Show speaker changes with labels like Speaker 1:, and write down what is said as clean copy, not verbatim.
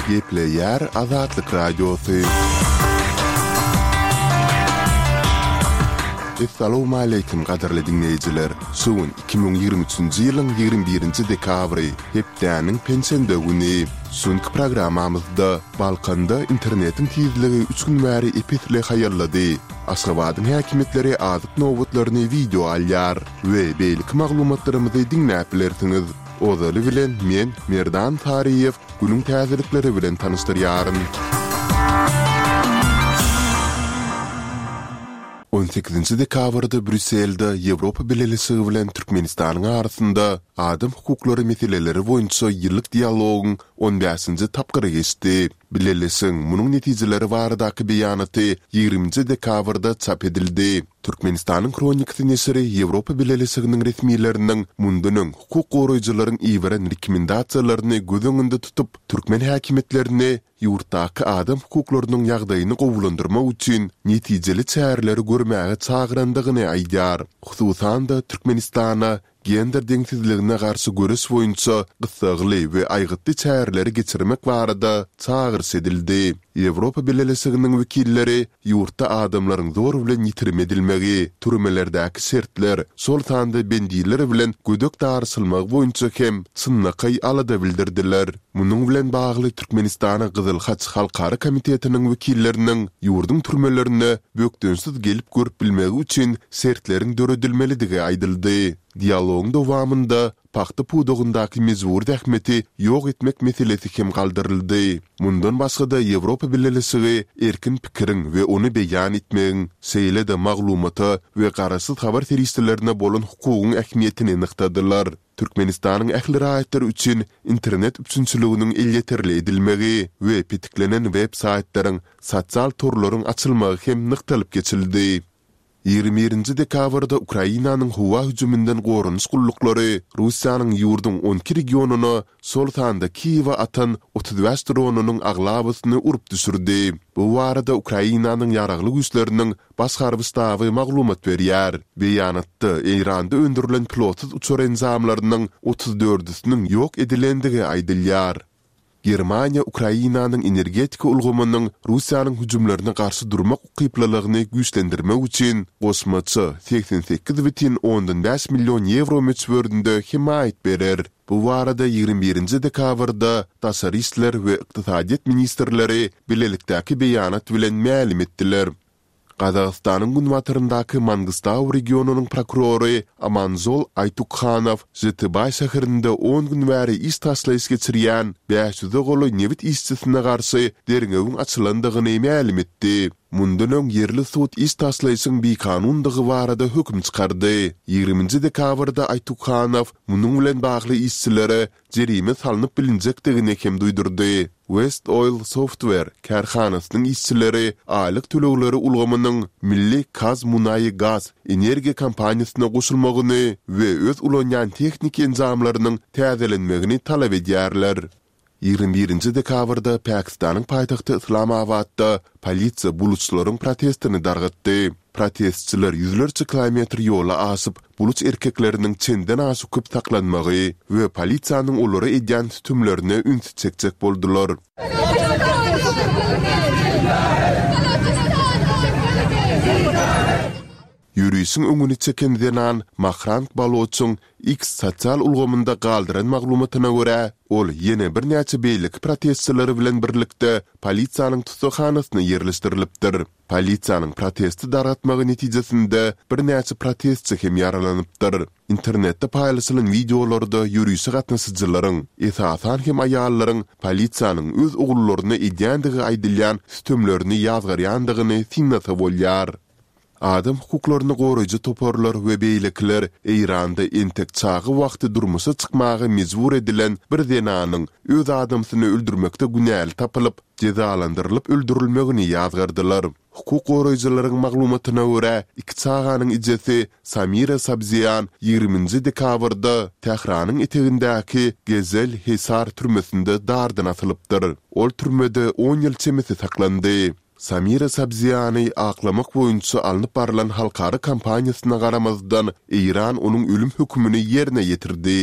Speaker 1: Gepleýär Azatlyk Radiosy. Essalawmaleýkim gadyrly diňleýjiler! Şu gün 2023-nji ýylyň 21-nji dekabry, hepdäniň penşenbe güni. Şu günki programmamyzda Balkanda internetiň tizligi üç gün bäri ep-esli haýallady. Aşgabadyň häkimiýetleri azyk nobatlaryny wideo alýar we beýleki maglumatlarymyzy diňläp bilersiňiz. Ozaly bilen men, Merdan Saryýew, günüň täzelikleri bilen tanyşdyrýaryn. On sekizinji dekabrda Brýusselde Ýewropa Bileleşigi bilen Türkmenistanyň arasynda adam hukuklary meseleleri boýunça ýyllyk dialogyň on bäşinji tapgyry geçdi. Bileleşigiň munuň netijeleri baradaky beýanaty ýigriminji dekabrda çap edildi. Türkmenistanyň Hronikasy neşiri Ýewropa Bileleşiginiň resmileriniň mundan öň hukuk goraýjylaryň iberen rekomendasiýalaryny göz öňünde tutup, türkmen häkimiýetlerini ýurtdaky adam hukuklarynyň ýagdaýyny gowulandyrmak üçin netijeli çäreleri görmäge çagyrandygyny aýdýar. Hususan-da, Türkmenistana gender deňsizligine garşy göreş boýunça gyssagly we aýgytly çäreleri geçirmek barada çagyryş edildi. Ýewropa Bileleşiginiň wekilleri ýurtda adamlaryň zor bilen ýitirim edilmegi, türmelerdäki şertler, şol sanda bendiler bilen gödek daryşylmagy boýunça hem çynlakaý alada bildirdiler. Munuň bilen bagly Türkmenistana Gyzyl Haç Halkara komitetiniň wekilleriniň ýurduň türmelerine bökdençsiz gelip görüp bilmegi üçin şertleriň döredilmelidigi aýdyldy. Dialogyň dowamynda pagta pudagyndaky mejbury zähmeti ýok etmek meselesi hem galdyryldy. Mundan başga-da Ýewropa Bileleşigi erkin pikiriň we ony beýan etmegiň, şeýle-de maglumata we garaşsyz habar serişdelerine bolan hukugyň ähmiýetini nygtadylar. Türkmenistanyň ähli raýatlary üçin internet üpjünçiliginiň elýeterli edilmegi we petiklenen web-saýtlaryň, sosial torlaryň açylmagy hem nygtalyp geçildi. 21-nji dekabrda Ukrainanyň howa hüjüminden goranyş gulluklary Russiýanyň ýurduň 12 regionyna, şol sanda Kiýewe atan 35 dronynyň aglabasyny urup düşürdi. Bu barada Ukrainanyň Ýaragly Güýçleriniň Baş harby ştaby maglumat berýär. Beýanatda Eýranda öndürilen pilotsyz uçar enjamlarynyň otuz dördüsiniň ýok edilendigi aýdylýar. Germaniýa Ukrainanyň energetika ulgamynyň Russiýanyň hüjümlerine garşy durmak ukyplylygyny güýçlendirmek üçin goşmaça 88 bütin ondan bäş million ýewro möçberinde hemaýat berer. Bu barada 21-nji dekabrda daşary işler we ykdysadyýet ministrleri bilelikdäki beýanat bilen mälim etdiler. Gazagystanyň günbataryndaky Mangystau regionynyň prokurory Amanzol Aýtukhanow Žetybaý şäherinde on gün bäri iş taşlaýyş geçirýän bäş ýüze golaý nebit işçisine garşy derňewiň açylandygyny mälim etdi. Mundan öň ýerli sud iş taşlaýşyň bikanundygy barada höküm çykardy. Ýigriminji dekabrda Aýtukhanow munuň bilen bagly işçilere jerime salnyp bilinjekdigini hem duýdurdy. West Oil Software kärhanasynyň işçileri aýlyk tölegleri ulgamynyň milli KazMunayGaz energiýa kompaniýasyna goşulmagyny we öz ulanýan tehniki enjamlarynyň täzelenmegini talap edýärler. 21-nji dekabrda Pakistanyň paýtagty Yslamabatda polisiýa buluçlaryň protestini dargatdy. Protestçiler ýüzlerçe kilometr ýoly aşyp, buluç erkekleriniň çenden aşa köp saklanmagy we polisiýanyň olara edýän sütemlerine ünsi çekjek boldular. Ýörişiň öňüni çeken zenan Mahrang Baloçyň X sosial ulgamynda galdyran maglumatyna görä, ol ýene birnäçe beýleki protestçileri bilen birlikde polisiýanyň tussaghanasyna ýerleşdirilipdir. Polisiýanyň protesti dargatmagy netijesinde birnäçe protestçi hem ýaralanypdyr. Internetde paýlaşylan wideolarda ýörişe gatnaşyjylaryň, esasan hem aýallaryň polisiýanyň öz ogullaryna edýändigi aýdylýan sütemlerini ýazgarýandygyny synlasa bolýar. Adam hukuklaryny goraýjy toparlar we beýlekiler Eýranda entek çaga wagty durmuşa çykmaga mejbur edilen bir zenanyň öz adamsyny öldürmekde günäli tapylyp, jezalandyrylyp öldürilmegini ýazgardylar. Hukuk goraýjylaryň maglumatyna görä, iki çaganyň ejesi Samira Sabzian ýigriminji dekabrda Tähranyň etegindäki Gezel Hesar türmesinde dardan asylypdyr. Ol türmede on ýyl çemesi saklandy. Samira Sabziany aklamak boýunça alnyp barlan halkara kampaniýasyna garamazdan, Eýran onuň ölüm hökümini ýerine ýetirdi.